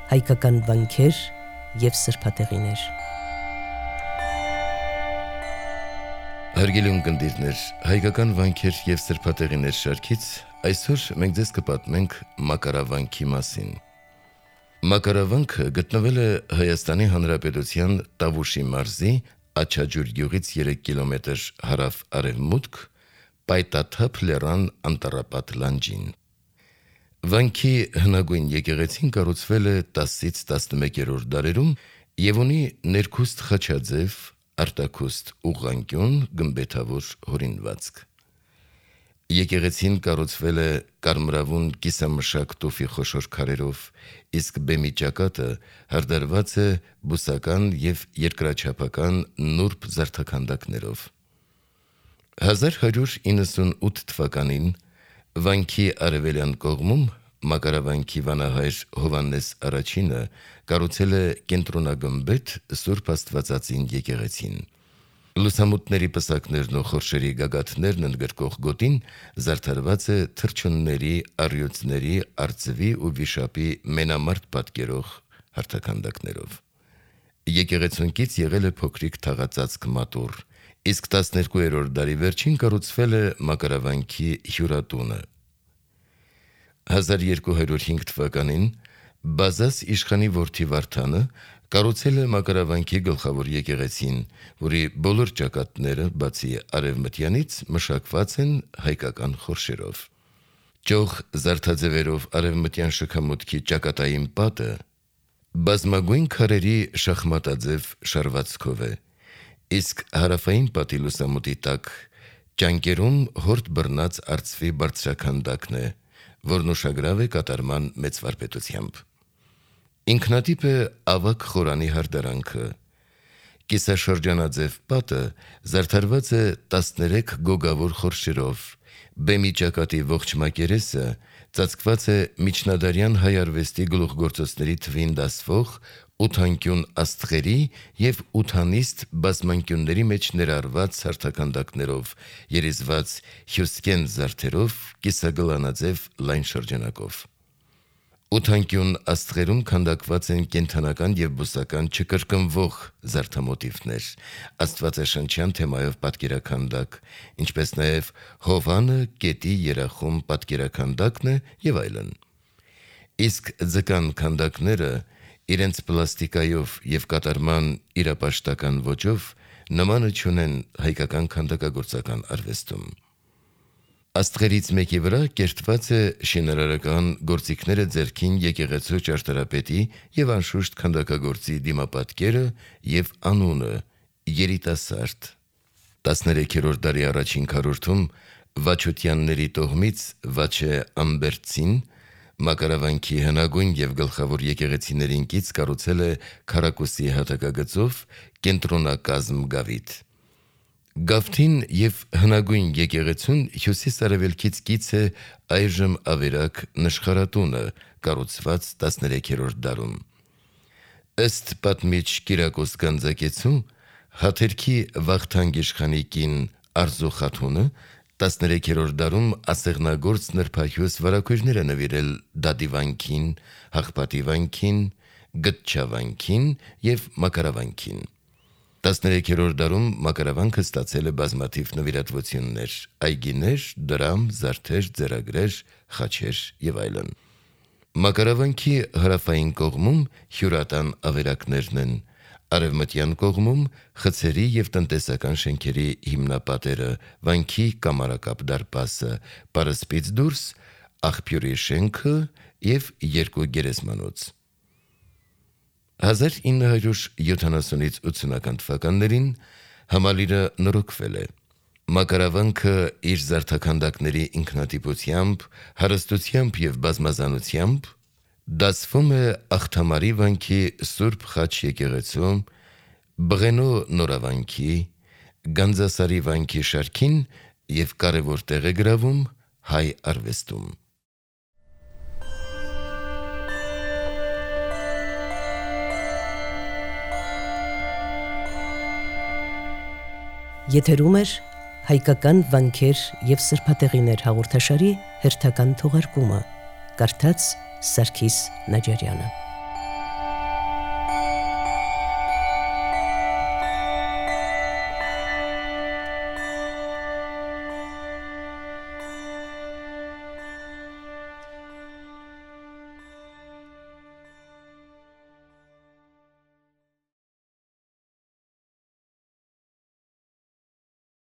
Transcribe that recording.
հայկական վանքեր և սրբատեղիներ։ Հարգելի ունկնդիրներ, հայկական վանքեր և սրբատեղիներ շարքից այսօր մենք ձեզ կպատմենք մակարավանքի մասին։ Մակարավանքը գտնվել է Հայաստանի Հանրապետության Տավուշի մարզի Աչաջուր գյուղից 3 կիլոմետր հարավ-արևմուտք, Պայտաթափ լեռան անտառապատ լանջին։ Վանքի հնագույն եկեղեցին կառուցվել է 10-ից 11-րդ դարերում և ունի ներքուստ խաչաձև, արտաքուստ ուղղանկյուն գմբեթավոր հորինվածք։ Եկեղեցին կառուցվել է կարմրավուն կիսամշակ տուֆի խոշոր քարերով, իսկ բեմի ճակատը հարդարված է բուսական և երկրաչափական նուրբ զարդաքանդակներով։ 1198 թվականին վանքի արևելյան կողմում մակարավանքի վանահայր Հովհաննես Առաջինը կառուցել է կենտրոնագմբեթ Սուրբ Աստվածածին եկեղեցին։ Լուսամուտների պսակներն ու խորշերի գագաթներն ընդգրկող գոտին զարդարված է թռչունների, առյուծների, արծվի ու վիշապի մենամարտ պատկերող հարթաքանդակներով։ Եկեղեցուն կից եղել է փոքրիկ թաղածածկ մատուռ, իսկ 12-րդ դարի վերջին կառուցվել է մակարավանքի հյուրատունը։ 1205 թվականին Բազազ իշխանի որդի Վարդանը կառուցել է մակարավանքի գլխավոր եկեղեցին, որի բոլոր ճակատները, բացի արևմտյանից, մշակված են հայկական խորշերով։ Ճոխ զարդաձևերով արևմտյան շքամուտքի ճակատային պատը բազմագույն քարերի շախմատաձև շարվածքով է, իսկ հարավային պատի լուսամուտի տակ ճանկերում հորդ բռնած արծվի բարձրաքանդակն է, որն ուշագրավ է կատարման մեծ վարպետությամբ։ Ինքնատիպ է ավագ խորանի հարդարանքը։ Կիսաշրջանաձև պատը զարդարված է 13 գոգավոր խորշերով, բեմի ճակատի ողջ մակերեսը ծածկված է միջնադարյան հայ արվեստի գլուխգործոցների թվին դասվող ութանկյուն աստղերի և ութանիստ բազմանկյունների մեջ ներառված հարթաքանդակներով, երիզված հյուսկեն զարդերով, կիսագլանաձև լայն շրջանակով։ Ութանկյուն աստղերում քանդակված են կենդանական և բուսական չկրկնվող զարդամոտիվներ, աստվածաշնչյան թեմայով պատկերաքանդակ, ինչպես նաև Հովհանը գետի երախում պատկերաքանդակն է և այլն։ Իսկ ձկան քանդակները իրենց պլաստիկայով և կատարման իրապաշտական ոճով նմանը չունեն հայկական քանդակագործական արվեստում։ Աստղերից մեկի վրա կերտված է շինարարական գործիքները ձեռքին եկեղեցու ճարտարապետի և անշուշտ քանդակագործի դիմապատկերը և անունը՝ երիտասարդ։ 13-րդ դարի առաջին քառորդում Վաչոտյանների տոհմից Վաչե Ամբերտցին մակարավանքի հնագույն և գլխավոր եկեղեցիներին կից կառուցել է քառակուսի հատակագծով կենտրոնակազմ գավիթ։ Գավթին և հնագույն եկեղեցուն հյուսիս-արևելքից կից է այժմ ավերակ նշխարատունը, կառուցված 13-րդ դարում։ Ըստ պատմիչ Կիրակոս Գանձակեցու, Հաթերքի Վախթանգ իշխանի կին Արզու խաթունը 13-րդ դարում ասեղնագործ նրբահյուս վարագույրներ է նվիրել Դադի վանքին, Հաղպատի վանքին, Գտչա վանքին և մակարավանքին։ 13-րդ դարում մակարավանքը ստացել է բազմաթիվ նվիրատվություններ՝ այգիներ, դրամ, զարդեր, ձեռագրեր, խաչեր և այլն։ Մակարավանքի հարավային կողմում հյուրատան ավերակներն են, արևմտյան կողմում խցերի և տնտեսական շենքերի հիմնապատերը, վանքի կամարակապ դարպասը, պարսպից դուրս աղբյուրի շենքը և 2 գերեզմանոց։ 1970-ից 80-ական թվականներին համալիրը նորոգվել է։ Մակարավանքը իր զարդաքանդակների ինքնատիպությամբ, հարստությամբ և բազմազանությամբ դասվում է Աղթամարի վանքի Սուրբ Խաչ եկեղեցու, Բղենո նորավանքի, Գանձասարի վանքի շարքին և կարևոր տեղ է գրավում հայ արվեստում։ Եթերում էր հայկական վանքեր և սրբատեղիներ հաղորդաշարի հերթական թողարկումը, կարդաց Սարգիս Նաջարյանը։